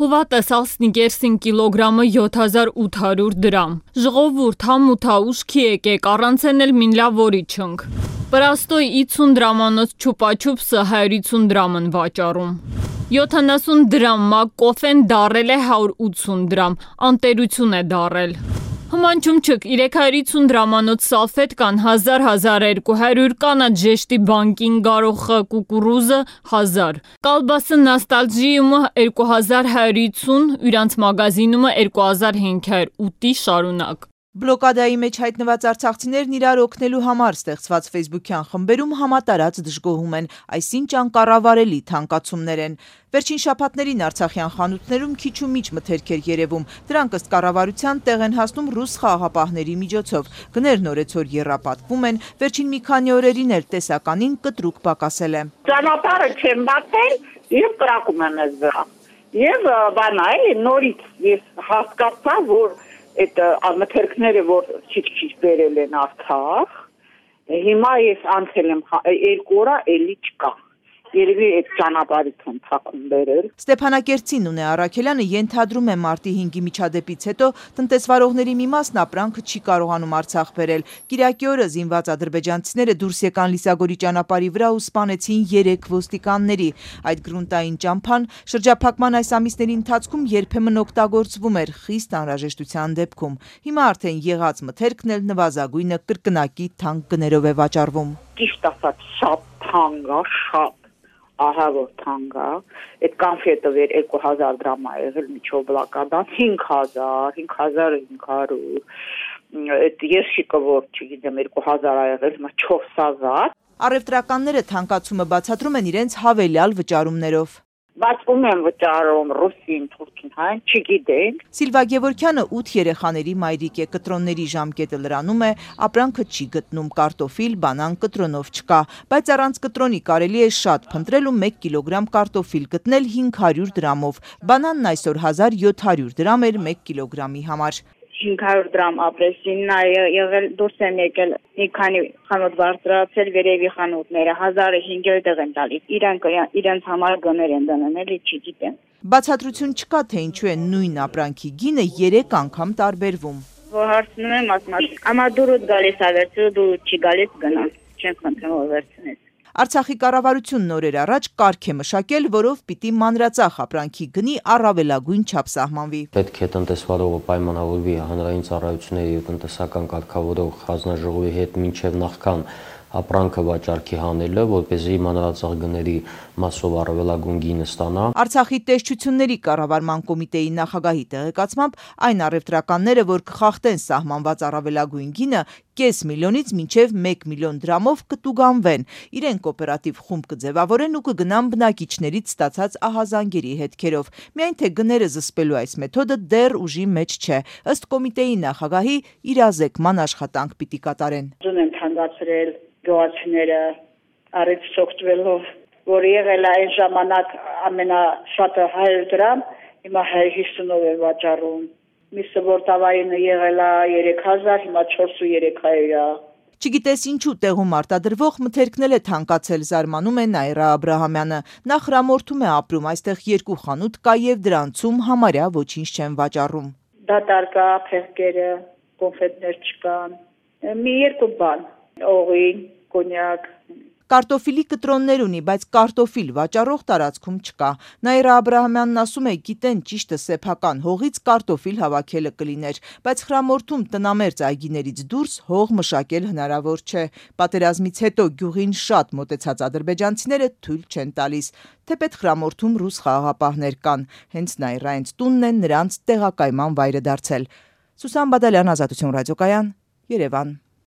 Հուվատես Սնիկերսին կիլոգրամը 7800 դրամ։ Ժողովուրդ համութա ուշքի եկեք, առանց էլ մինլավորի չնք։ Պրաստոյ 50 դրամանոց չուպաչուպսը 150 դրամ են վաճառում։ 70 դրամ մակ կոֆեն դարել է 180 դրամ, անտերություն է դարել։ Հմանչում չք 350 դրամանոց սալֆետկան 1000-1200 կանա ժեշտի բանկին գարոխը կուկուրուզը 1000 կալբասը նոստալժիումը 2150 իրանց մագազինումը 2500 ուտի շարունակ Բլոկադայի մեջ հայտնված արցախցիներն իրար օգնելու համար ստեղծված ֆեյսբուքյան խմբերում համատարած դժգոհում են, այսինչ անկառավարելի թանկացումներ են։ Վերջին շաբաթներին արցախյան խանութներում քիչ ու միջ մթերք էր երևում, դրանք ըստ կառավարության տեղ են հասնում ռուս խաղաղապահների միջոցով։ Գներն օրեցօր եռապատկվում են, վերջին մի քանի օրերին էլ տեսականին կտրուկ պակասել է։ Ճանապարհը չեմ բացել եւ կրակում եմ ես վրա։ Եվ բանա էլի նորից ես հասկացա, որ այդ մթերքները, որ քիչ-քիչ բերել են Արցախ, հիմա ես անցել եմ 2 օր էլի չկա։ Երևի այդ ճանապարհից են ցակում բերել։ Ստեփանակերտցին Ունե Առաքելյանը ենթադրում է մարտի 5-ի միջադեպից հետո տնտեսվարողների մի մասն ապրանքը չի կարողանում Արցախ բերել։ Կիրակի օրը զինված ադրբեջանցիները դուրս եկան Լիսագորի ճանապարհի վրա ու սպանեցին 3 ոստիկանների։ Այդ գրունտային ճամփան շրջափակման այս ամիսների ընթացքում երբեմն օգտագործվում էր խիստ անհրաժեշտության դեպքում։ Հիմա արդեն եղած մթերքն էլ նվազագույնը կրկնակի թանկ գներով է վաճառվում։ Ճիշտ ասած շատ թանկ է, շատ ահա որ թանկ է, այդ կոնֆետը վեր 2000 դրամ է եղել միջով բլոկադան 5000, 5500, այդ երշիկը որ չգիտեմ 2000 է եղել, հիմա 4000։ Առևտրականները թանկացումը բացատրում են իրենց հավելյալ վճարումներով։ Բացվում են վճարում ռուսին, թուրքին, հայն, չգիտենք։ Սիլվա Գևորգյանը 8 երեխաների մայրիկ է, կտրոնների ժամկետը լրանում է, ապրանքը չի գտնում, կարտոֆիլ, բանան կտրոնով չկա, բայց առանց կտրոնի կարելի է շատ փնտրել ու 1 կիլոգրամ կարտոֆիլ գտնել 500 դրամով, բանանն այսօր 1700 դրամ էր 1 կիլոգրամի համար։ 500 դրամ ապրեսինն է եղել, դուրս են եկել մի քանի խանութ բարձրացել վերևի խանութները 1500 դեղ են տալիս, իրենց համար գներ են դնում, էլի չգիտեմ։ Բացատրություն չկա, թե ինչու է նույն ապրանքի գինը 3 անգամ տարբերվում։ Որ հարցնում եմ, ասում եմ, ամա դուրուդ գալիս է վերցրու, դու չի գալիս գնա, չեմ խնդրում որ վերցնես։ Արցախի կառավարությունն օրեր առաջ կարգ է մշակել, որով պիտի մանրածախ ապրանքի գնի առավելագույն չափ սահմանվի։ Պետք է տնտեսվարողը պայմանավորվի հանրային ծառայությունների ու տնտեսական կարգավորող հանձնաժողովի հետ մինչև նախքան ապրանքը վաճառքի հանելը, որպեսզի մանրածախ գների մասով առավելագույն գինը ստանա։ Արցախի տեսչությունների կառավարման կոմիտեի նախագահի տեղեկացմամբ այն առևտրականները, որ կխախտեն սահմանված առավելագույն գինը, կես միլիոնից մինչև 1 միլիոն դրամով կտուգանվեն։ Իրենք օպերատիվ խումբ կձևավորեն ու կգնան բնակիչներից ստացած ահազանգերի հետքերով։ Միայն թե գները զսպելու այս մեթոդը դեռ ուժի մեջ չէ։ Ըստ կոմիտեի նախագահի իրազեկման աշխատանք պիտի կատարեն։ Ուզում եմ թանկացրել գյուղացիները առիթ շոկտվելով, որ եղել է այն ժամանակ ամենաշատը 100 դրամ, հիմա 150-ով է վաճառում։ Միսը որ տավայինը եղել է 3000, հիմա 4300 է։ Չգիտես ինչու տեղում արտադրվող մթերքն է թանկացել, զարմանում է Նաիրա Աբրահամյանը։ Նա խրամորթում է ապրում, այստեղ 2 խանութ կա եւ դրանցում համարյա ոչինչ չեն վաճառում։ Դատարկա, փեղկերը, կոնֆետներ չկան։ Մի 2 բան, օղին, կոնյակ։ Կարտոֆիլի կտրոններ ունի, բայց կարտոֆիլ վաճառող տարածքում չկա։ Նաիրա Աբրահամյանն ասում է, գիտեն ճիշտը սեփական հողից կարտոֆիլ հավաքելը կլիներ, բայց խրամորթում տնամերձ այգիներից դուրս հող մշակել հնարավոր չէ։ Պատերազմից հետո գյուղին շատ մոտեցած ադրբեջանցիները թույլ չեն տալիս, թեպետ խրամորթում ռուս խաղաղապահներ կան, հենց Նաիրայից տունն է նրանց տեղակայման վայրը դարձել։ Սուսան Բադալյան, Ազատություն ռադիոկայան, Երևան։